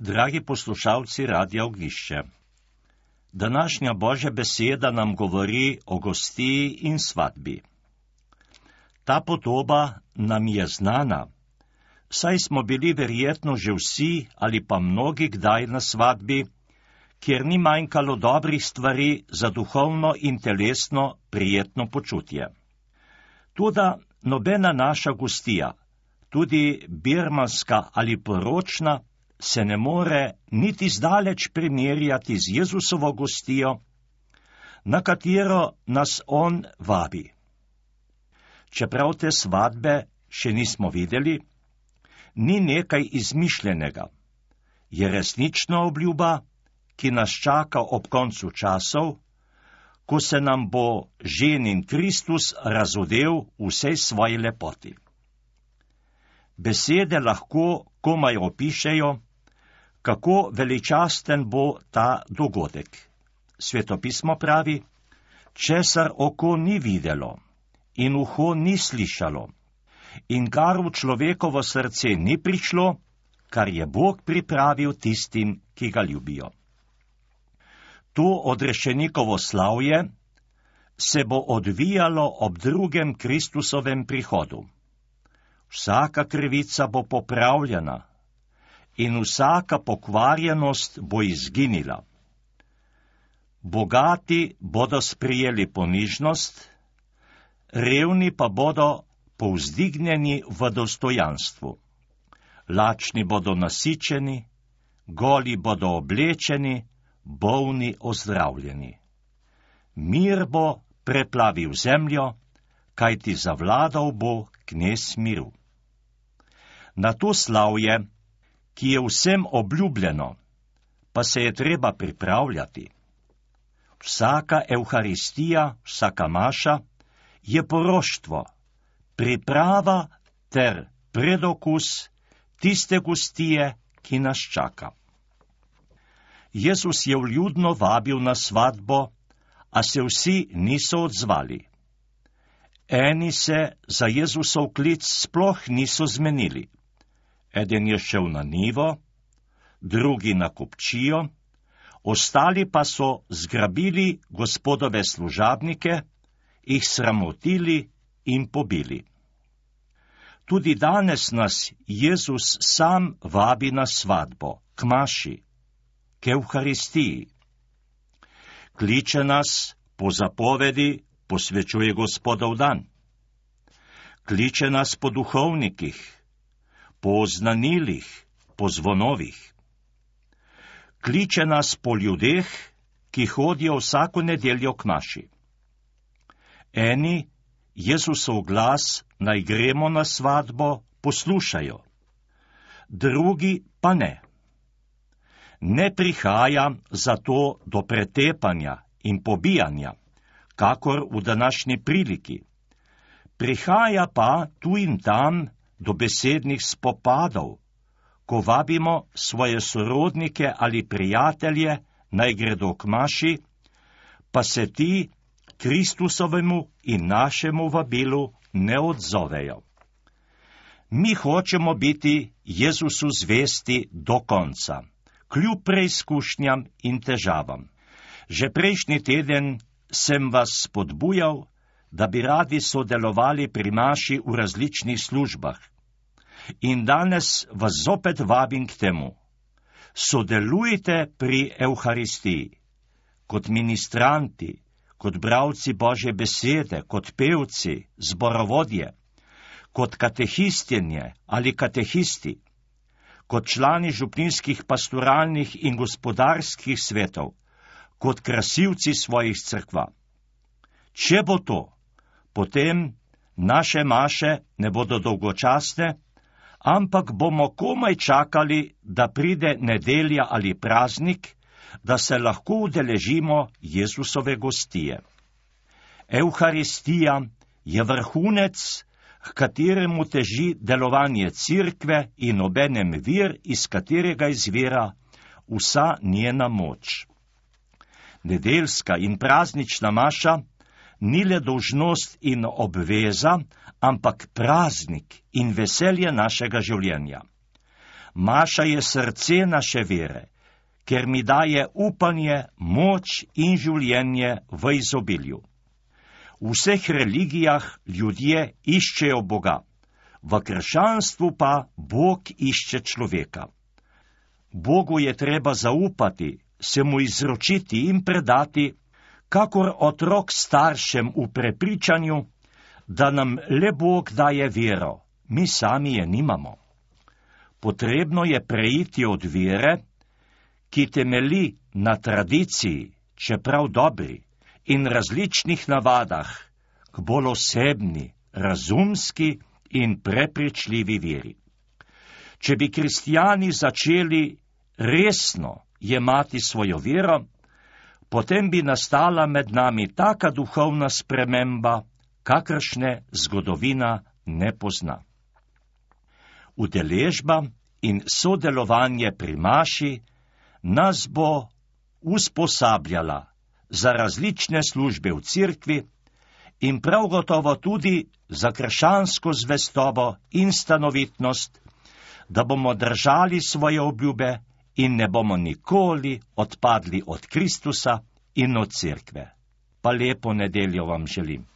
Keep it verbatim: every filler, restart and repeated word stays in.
Dragi poslušalci Radia Ognjišče, današnja Božja beseda nam govori o gostiji in svadbi. Ta podoba nam je znana, saj smo bili verjetno že vsi ali pa mnogi kdaj na svadbi, kjer ni manjkalo dobrih stvari za duhovno in telesno prijetno počutje. Toda nobena naša gostija, tudi birmanska ali poročna, se ne more niti zdaleč primerjati z Jezusovo gostijo, na katero nas on vabi. Čeprav te svadbe še nismo videli, ni nekaj izmišljenega, je resnična obljuba, ki nas čaka ob koncu časov, ko se nam bo ženin Kristus razodel v vsej svoji lepoti. Besede lahko komaj opišejo, kako veličasten bo ta dogodek. Svetopismo pravi, česar oko ni videlo in uho ni slišalo in kar v človekovo srce ni prišlo, kar je Bog pripravil tistim, ki ga ljubijo. To odrešenikovo slavje se bo odvijalo ob drugem Kristusovem prihodu. Vsaka krivica bo popravljena in vsaka pokvarjenost bo izginila. Bogati bodo sprijeli ponižnost, revni pa bodo povzdignjeni v dostojanstvu. Lačni bodo nasičeni, goli bodo oblečeni, bolni ozdravljeni. Mir bo preplavil zemljo, kajti zavladal bo knez miru. Na to slavje, ki je vsem obljubljeno, pa se je treba pripravljati. Vsaka evharistija, vsaka maša je poroštvo, priprava ter predokus tiste gostije, ki nas čaka. Jezus je vljudno vabil na svadbo, a se vsi niso odzvali. Eni se za Jezusov klic sploh niso zmenili. Eden je šel na njivo, drugi na kupčijo, ostali pa so zgrabili gospodove služabnike, jih sramotili in pobili. Tudi danes nas Jezus sam vabi na svadbo, k maši, k evharistiji. Kliče nas po zapovedi, posvečuje Gospodov dan. Kliče nas po duhovnikih, po znanilih, po zvonovih. Kliče nas po ljudeh, ki hodijo vsako nedeljo k maši. Eni Jezusov glas, naj gremo na svadbo, poslušajo, drugi pa ne. Ne prihaja zato do pretepanja in pobijanja, kakor v današnji priliki. Prihaja pa tu in tam do besednih spopadov, ko vabimo svoje sorodnike ali prijatelje, naj gredo k maši, pa se ti Kristusovemu in našemu vabilu ne odzovejo. Mi hočemo biti Jezusu zvesti do konca, kljub preizkušnjam in težavam. Že prejšnji teden sem vas spodbujal, da bi radi sodelovali pri maši v različnih službah. In danes vas zopet vabim k temu. Sodelujte pri evharistiji, kot ministranti, kot bralci Božje besede, kot pevci, zborovodje, kot katehistinje ali katehisti, kot člani župnijskih pastoralnih in gospodarskih svetov, kot krasilci svojih cerkva. Če bo to, potem naše maše ne bodo dolgočasne, ampak bomo komaj čakali, da pride nedelja ali praznik, da se lahko udeležimo Jezusove gostije. Evharistija je vrhunec, k kateremu teži delovanje cerkve in obenem vir, iz katerega izvira vsa njena moč. Nedeljska in praznična maša ni le dolžnost in obveza, ampak praznik in veselje našega življenja. Maša je srce naše vere, ker mi daje upanje, moč in življenje v izobilju. V vseh religijah ljudje iščejo Boga, v krščanstvu pa Bog išče človeka. Bogu je treba zaupati, se mu izročiti in predati, kakor otrok staršem v prepričanju, da nam le Bog daje vero, mi sami je nimamo. Potrebno je preiti od vere, ki temeli na tradiciji, čeprav dobri, in različnih navadah, k bolj osebni, razumski in prepričljivi veri. Če bi kristijani začeli resno jemati svojo vero, potem bi nastala med nami taka duhovna sprememba, kakršne zgodovina ne pozna. Udeležba in sodelovanje pri maši nas bo usposabljala za različne službe v cerkvi in prav gotovo tudi za krščansko zvestobo in stanovitnost, da bomo držali svoje obljube in ne bomo nikoli odpadli od Kristusa in od cerkve. Pa lepo nedeljo vam želim.